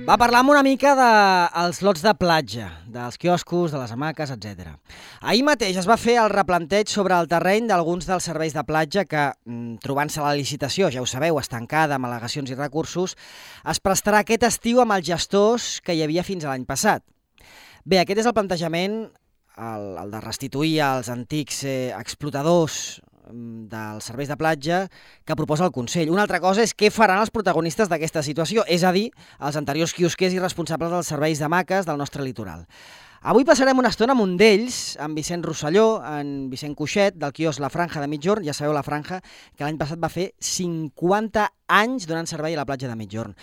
Va, parlam una mica dels lots de platja, dels quioscos, de les hamaques, etc. Ahir mateix es va fer el replanteig sobre el terreny d'alguns dels serveis de platja que, trobant-se la licitació, ja ho sabeu, estancada amb al·legacions i recursos, es prestarà aquest estiu amb els gestors que hi havia fins a l'any passat. Bé, aquest és el plantejament, el de restituir als antics explotadors dels serveis de platja que proposa el Consell. Una altra cosa és què faran els protagonistes d'aquesta situació, és a dir, els anteriors quiosquers i responsables dels serveis d'hamaques del nostre litoral. Avui passarem una estona amb un d'ells, amb Vicent Rosselló, en Vicent Cuixet, del quiosc La Franja de Migjorn. Ja sabeu, La Franja, que l'any passat va fer 50 anys donant servei a la platja de Migjorn.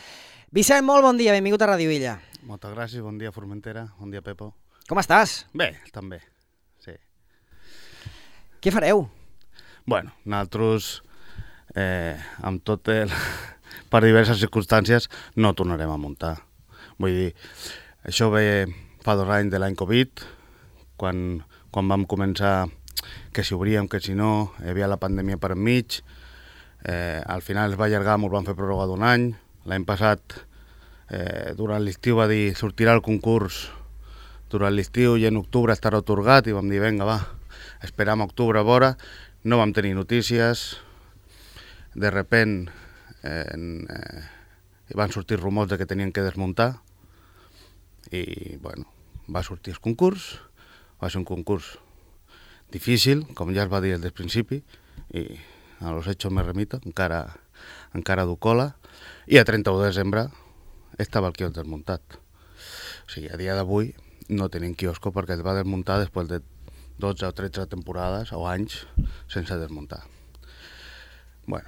Vicent, molt bon dia, benvingut a Radio Illa. Moltes gràcies, bon dia Formentera, bon dia Pepo. Com estàs? Bé, també, sí. Què fareu? Bueno, nosaltres, amb tot per diverses circumstàncies, no tornarem a muntar. Vull dir, això ve fa 2 anys de l'any Covid, quan vam començar que si obríem, que si no, hi havia la pandèmia per enmig. Al final es va allargar, ens van fer pròrroga d'1 any. L'any passat, durant l'estiu, va dir sortirà el concurs durant l'estiu i en octubre estarà atorgat, i vam dir, vinga, va, esperam a octubre a veure. No vam tenir notícies, de repent van sortir rumors de que tenien que desmuntar i bueno, va sortir el concurs, va ser un concurs difícil, com ja es va dir des del principi, i a los hechos me remito, encara du cola, i a 31 de desembre estava el quiosc desmuntat. O sigui, a dia d'avui no tenim quiosco perquè es va desmuntar després de 12 o 13 temporades o anys sense desmuntar. Bueno,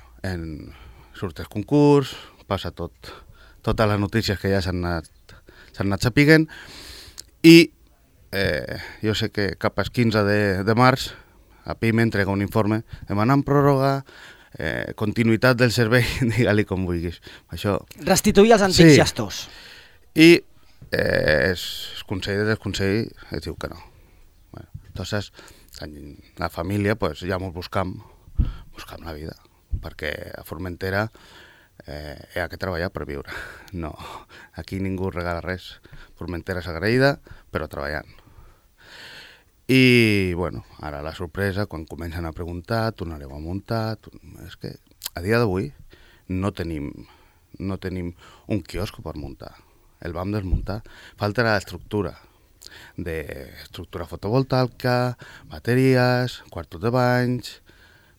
surt el concurs, passa totes les notícies que ja s'han anat sapiguent, i jo sé que cap al 15 de març a PIME entrega un informe demanant pròrroga, continuïtat del servei, digue-li com vulguis. Això... Restituir els antics gestors. I el consell del consell es diu que no. Entonces, la família, pues, ja ens buscam la vida, perquè a Formentera hi ha que treballar per viure. No, aquí ningú regala res. Formentera és agraïda, però treballant. I, bueno, ara la sorpresa, quan comencen a preguntar, tornareu a muntar... És que a dia d'avui no tenim un quiosc per muntar. El vam desmuntar. Falta l'estructura. D'estructura fotovoltaica, bateries, quartos de banys...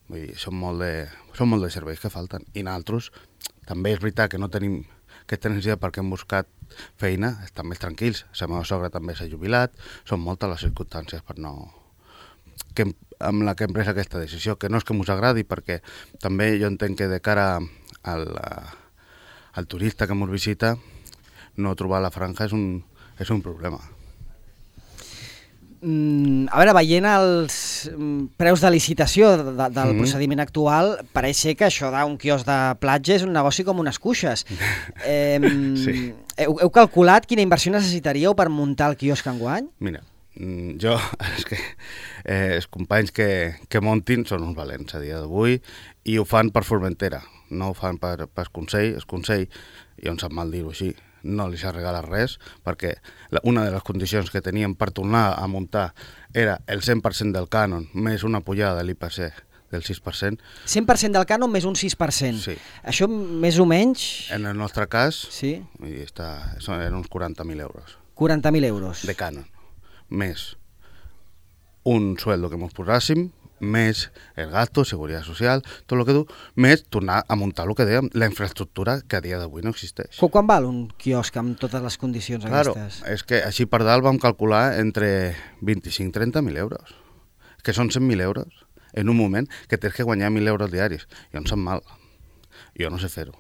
Vull dir, són molt de serveis que falten. I nosaltres, també és veritat que no tenim aquesta necessitat perquè hem buscat feina, estan més tranquils. La meva sogra també s'ha jubilat, són moltes les circumstàncies per no... amb la que hem pres aquesta decisió, que no és que mos agradi, perquè també jo entenc que de cara al turista que mos visita, no trobar la franja és un problema. A veure, veient els preus de licitació del procediment actual, pareix ser que això d'un quiosc de platja és un negoci com unes cuixes. Sí. Heu calculat quina inversió necessitaríeu per muntar el quiosc enguany? Mira, jo, és que els companys que muntin són uns valents a dia d'avui i ho fan per Formentera, no ho fan per Consell. El Consell, jo em sap mal dir-ho així, no li s'ha regalat res, perquè una de les condicions que teníem per tornar a muntar era el 100% del cànon més una pujada de l'IPC del 6%. 100% del cànon més un 6%. Sí. Això més o menys... En el nostre cas, sí. Eren uns 40.000 euros. 40.000 euros. De cànon. Més un sueldo que ens posàssim, més el gasto, seguretat social, tot el que du, més tornar a muntar el que dèiem, la infraestructura que a dia d'avui no existeix. Quan val un quiosc amb totes les condicions aquestes? Claro, és que així per dalt vam calcular entre 25 i 30.000 euros, que són 100.000 euros en un moment que tens que guanyar 1.000 euros diaris. Jo em sap mal, jo no sé fer-ho.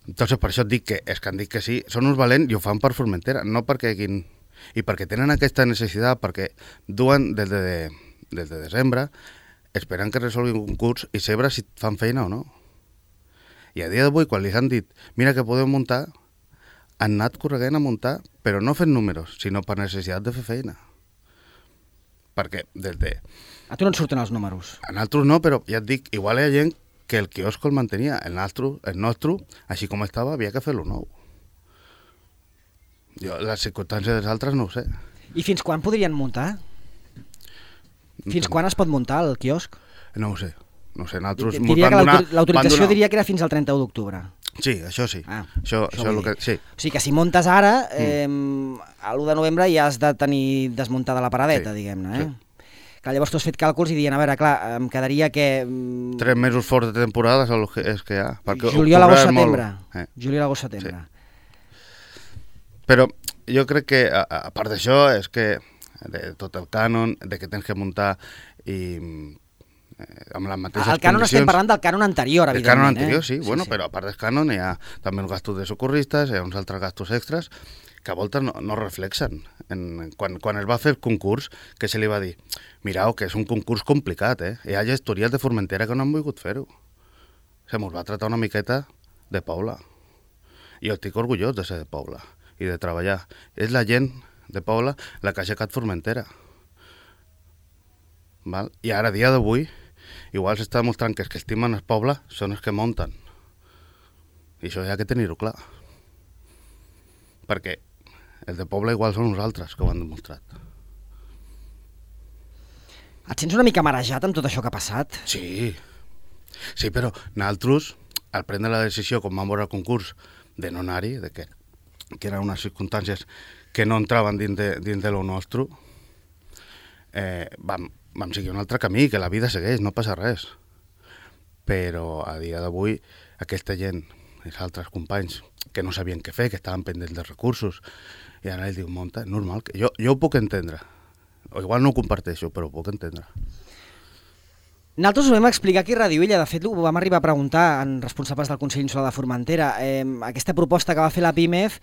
Entonces per això et dic que és que han dit que sí, són uns valents i ho fan per Formentera, no perquè i perquè tenen aquesta necessitat, perquè duen des de desembre, esperant que resolguin un concurs i saber si fan feina o no. I a dia d'avui, quan li han dit mira que podem muntar, han anat corregent a muntar, però no fent números, sinó per necessitat de fer feina. Perquè A tu no et surten els números? A nosaltres no, però ja et dic, igual hi ha gent que el quiosc el mantenia, el nostre, així com estava, havia que fer-lo nou. Jo, les circumstàncies dels altres no ho sé. I fins quan podrien muntar? Fins quan es pot muntar el quiosc? No ho sé. No ho sé, nosaltres Diria que l'autorització diria que era fins al 31 d'octubre. Sí, això sí. Això és el que... Sí. O sigui que si muntes ara, a l'1 de novembre ja has de tenir desmuntada la paradeta, diguem-ne. Sí. Clar, llavors tu has fet càlculs i dient, a veure, clar, em quedaria que... 3 mesos forts de temporada és que hi ha. Juliol, agost, setembre. Juliol, agost, setembre. Sí. Però jo crec que, a part d'això, és que de tot el cànon, de que tens que muntar i amb les mateixes condicions... El cànon estem parlant del cànon anterior, evidentment. El cànon anterior, sí. Bueno, però a part del cànon hi ha també els gastos de socorristes, hi ha uns altres gastos extras que a voltes no reflexen. Quan es va fer el concurs, que se li va dir, mireu, que és un concurs complicat, hi ha gestories de Formentera que no han volgut fer-ho. Se mos va tratar una miqueta de Pobla. I jo estic orgullós de ser de Pobla i de treballar. És la gent de Pobla la que ha aixecat Formentera. Val? I ara, a dia d'avui, igual s'està demostrant que els que estimen el poble són els que munten. I això hi ha que tenir-ho clar. Perquè els de poble igual són nosaltres que ho han demostrat. Et sents una mica marejat amb tot això que ha passat? Sí, però nosaltres, al prendre la decisió, com vam veure el concurs, de no anar-hi, que eren unes circumstàncies que no entraven dins de lo nostre, vam seguir un altre camí, que la vida segueix, no passa res. Però a dia d'avui, aquesta gent, els altres companys, que no sabien què fer, que estaven pendents dels recursos, i ara ells diuen, monta, és normal. Jo ho puc entendre. O igual no ho comparteixo, però ho puc entendre. Nosaltres ho vam explicar aquí a Ràdio Illa, de fet ho vam arribar a preguntar en responsables del Consell Insular de Formentera. Aquesta proposta que va fer la PIMEF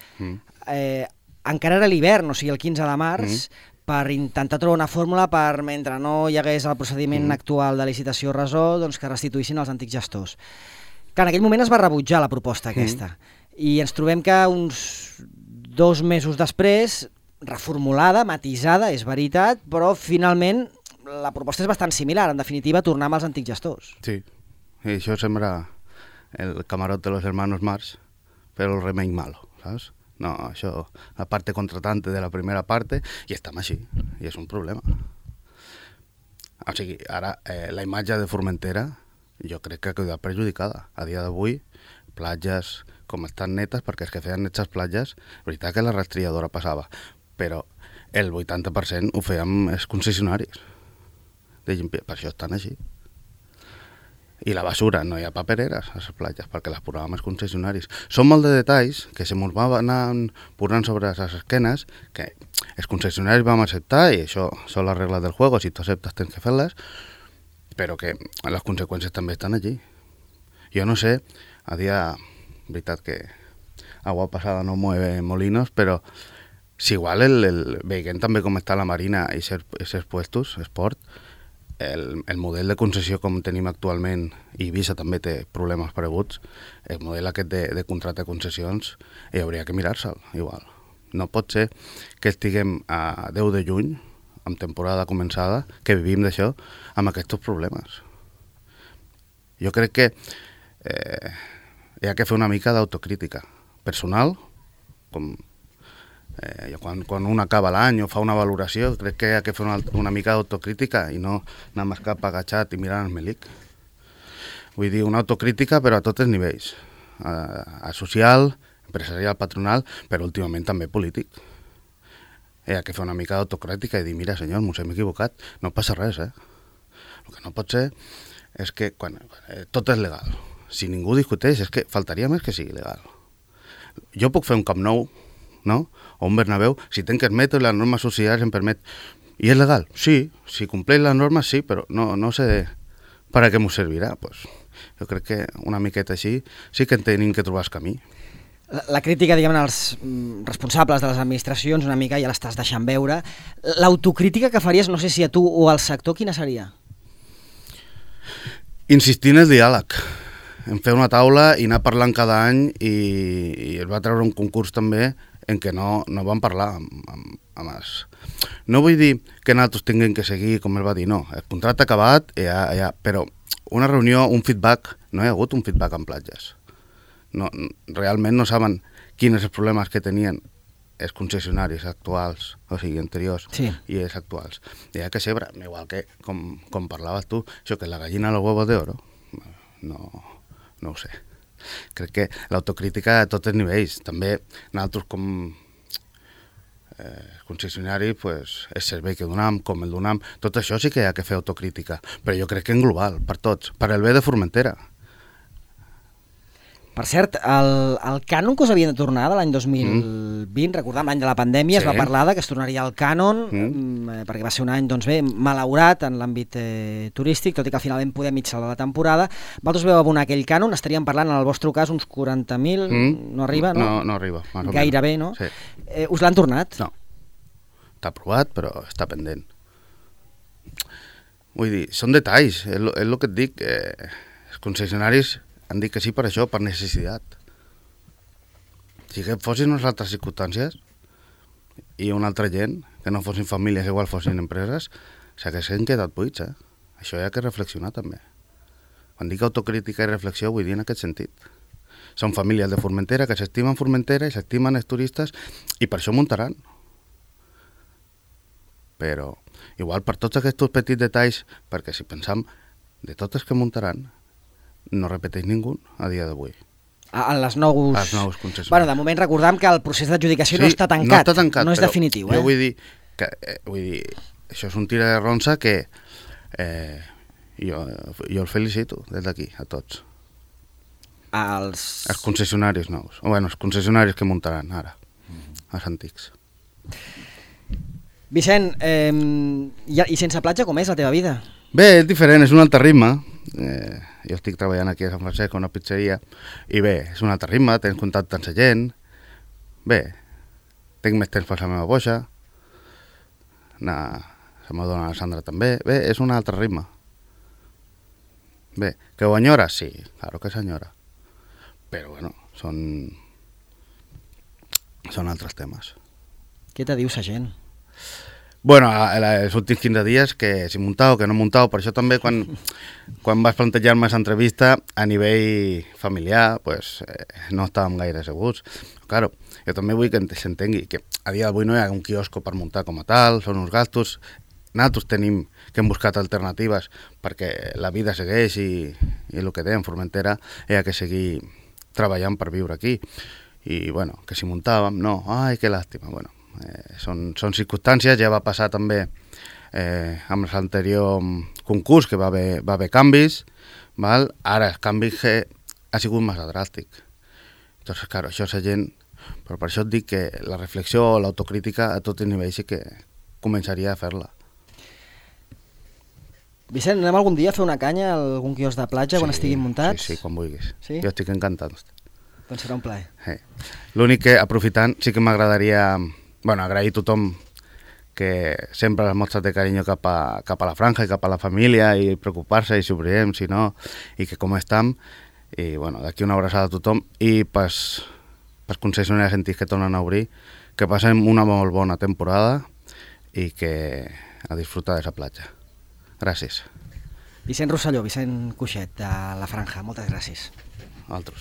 encara era l'hivern, o sigui el 15 de març, per intentar trobar una fórmula per, mentre no hi hagués el procediment actual de licitació resol, doncs que restituïssin els antics gestors. Que en aquell moment es va rebutjar la proposta aquesta. I ens trobem que uns 2 mesos després, reformulada, matisada, és veritat, però finalment la proposta és bastant similar, en definitiva, tornar amb els antics gestors. Sí, i això sembra el camarot de los hermanos Marx, però el remei malo, saps? No, això, la parte contratante de la primera parte, i estem així, i és un problema. O sigui, ara, la imatge de Formentera, jo crec que ha quedat perjudicada. A dia d'avui, platges com estan netes, perquè els que feien netes platges, veritat que la rastrilladora passava, però el 80% ho fèiem els concessionaris. Per això estan així. I la basura, no hi ha papereres a les platges, perquè les posàvem els concessionaris. Són molt de detalls que se mos van anar posant sobre les esquenes, que els concessionaris vam acceptar, i això són les regles del juego, si tu acceptes tens que fer-les, però que les conseqüències també estan allí. Jo no sé, a dia, veritat que agua passada no mueve molinos, però si igual veient també com està la Marina i aquests puestos, esport, el model de concessió com tenim actualment, i Ibiza també té problemes pareguts, el model aquest de contracte de concessions, hi hauria que mirar-se'l, igual. No pot ser que estiguem a 10 de juny, amb temporada començada, que vivim d'això, amb aquests problemes. Jo crec que hi ha que fer una mica d'autocrítica personal, com quan un acaba l'any o fa una valoració, crec que hi ha que fer una mica d'autocrítica i no anar més cap agachat i mirant el melic. Vull dir, una autocrítica però a tots els nivells, a social, empresarial, patronal, però últimament també polític. Hi ha que fer una mica d'autocrítica i dir, mira senyor, mos hem equivocat, no passa res, El que no pot ser és que tot és legal. Si ningú discuteix, és que faltaria més que sigui legal. Jo puc fer un Camp Nou, no? O un Bernabéu, si tenc els metros i les normes socials em permet. I és legal? Sí. Si compleix les normes, sí, però no sé per a què m'ho servirà. Pues, jo crec que una miqueta així sí que tenim que trobar el camí. La crítica, diguem, als responsables de les administracions, una mica ja l'estàs deixant veure. L'autocrítica que faries, no sé si a tu o al sector, quina seria? Insistir en el diàleg, en fer una taula i anar parlant cada any, i es va treure un concurs també en què no vam parlar amb els... No vull dir que nosaltres tinguem que seguir, com el va dir, no. El contracte acabat, però una reunió, un feedback, no hi ha hagut un feedback en platges. No, realment no saben quins els problemes que tenien els concessionaris actuals, o sigui, anteriors, sí, i els actuals. Hi ha que ser, igual que, com parlaves tu, això que la gallina los huevos de oro, no ho sé. Crec que l'autocrítica a tots els nivells, també nosaltres com concessionaris, pues, el servei que donam, com el donam, tot això sí que hi ha que fer autocrítica, però jo crec que en global, per tots, per el bé de Formentera. Per cert, el cànon que us havien de tornar de l'any 2020, recordem l'any de la pandèmia, es va parlar que es tornaria el cànon, perquè va ser un any, doncs bé, malaurat en l'àmbit turístic, tot i que al final vam poder mig salvar la temporada. Vosaltres veu abonar aquell cànon, estaríem parlant en el vostre cas uns 40.000, no arriba, no? No arriba. Gairebé, no? Sí. Us l'han tornat? No. Està aprovat, però està pendent. Vull dir, són detalls, és el que et dic, els concessionaris han dit que sí per això, per necessitat. Si que fossin unes altres circumstàncies i una altra gent, que no fossin famílies, igual fossin empreses, s'haguessin quedat buits, Això hi ha que reflexionar també. Quan dic autocrítica i reflexió vull dir en aquest sentit. Són famílies de Formentera que s'estimen Formentera i s'estimen els turistes i per això muntaran. Però igual per tots aquests petits detalls, perquè si pensam de tots els que muntaran, no repeteix ningú a dia d'avui. En les nous concessionaris. Bueno, de moment recordam que el procés d'adjudicació no està tancat. No està tancat, no és definitiu. Jo vull dir que això és un tira de ronça que jo el felicito des d'aquí, a tots. Els concessionaris nous. Bueno, els concessionaris que muntaran ara, els antics. Vicent, i sense platja com és la teva vida? Bé, és diferent, és un altre ritme. Jo estic treballant aquí a Sant Francesc, a una pizzeria, i bé, és un altre ritme, tens contacte amb la gent, bé, tinc més temps per la meva boixa, la meva dona Alessandra també, bé, és un altre ritme. Bé, que ho enyora? Sí, claro que s'enyora, però bueno, són altres temes. Què te diu la gent? Bueno, els últims 15 dies que si muntau, que no muntau, per això també quan vas plantejar-me aquesta entrevista a nivell familiar, pues no estàvem gaire segurs. Claro, jo també vull que s'entengui que a dia d'avui no hi ha un quiosco per muntar com a tal, són uns gastos. Nosaltres tenim que hem buscat alternatives perquè la vida segueix i el que dèiem, Formentera, hi ha que seguir treballant per viure aquí. I bueno, que si muntàvem, no, ai, que làstima, bueno. Són circumstàncies, ja va passar també amb l'anterior concurs que va haver canvis, val? Ara el canvi ha sigut massa dràstic. Entonces, claro, això és la gent, però per això et dic que la reflexió o l'autocrítica a tots els nivells sí que començaria a fer-la. Vicent, anem algun dia a fer una canya a algun quiosc de platja quan estiguin muntats? Sí, quan vulguis. Sí? Jo estic encantat. Doncs serà un plaer. L'únic que, aprofitant, sí que m'agradaria agrair a tothom que sempre les mostres de carinyo cap a la franja i cap a la família i preocupar-se i si obrirem, si no, i que com estem. I d'aquí una abraçada a tothom i pels concessionaris antics que tornen a obrir, que passem una molt bona temporada i que a disfrutar de la platja. Gràcies. Vicent Rosselló, Vicent Cuixet, de la Franja, moltes gràcies. A altres.